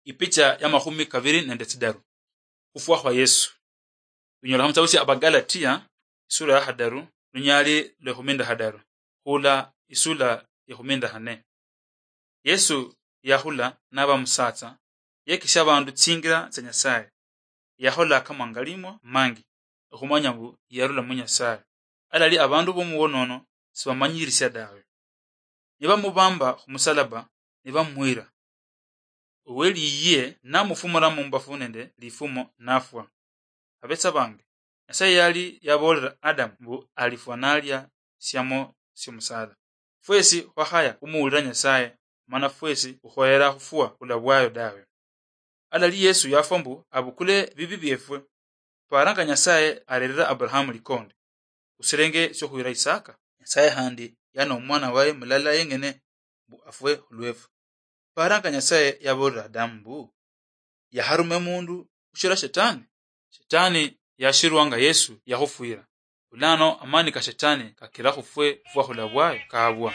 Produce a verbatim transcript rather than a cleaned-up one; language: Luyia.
Ipicha ya makhumi kabiri nende tsidaru. Khufwa khwa Yesu. Lunyola khamutsabusia Abagalatia, isura ya khadaru, lunyali lwekhumi nende khadaru, khula isura yekhumi nende khane. Yesu yakhula naba musatsa, yekisha abandu tsingira tsia Nyasaye. Yakhola kamangalimwa mangi okhumanya mbu yarula mu Nyasaye. Alali abandu bomuwonono sibamanyirisia dawe. Nibamubamba khumusalaba, nibamwira. Oweliyiye namufumula mumbafu nende lifumo nafwa. Abetsa bange, Nyasaye yali yabolera Adamu mbu alifwa nalia siamo siomusala. Fwesi khwakhaya khumuwulira Nyasaye, mana fwesi khukhoyera khufwa khula bwayo dawe. Alali Yesu yafwa mbu abukule bibi biefwe. Paranga Nyasaye arerera Abrahamu likonde, usirenge siokhuyira Isaka. Nyasaye khandi yana omwana waye mulala yengene mbu afwe khulwefwe. Paranga Nyasaye yabolera Adamu mbu yaharume mundu khushira Shetani. Shetani yashirwanga Yesu yakhufwira. Bulano amani ka Shetani kakira khufwe khufwa khula bwayo kabwa.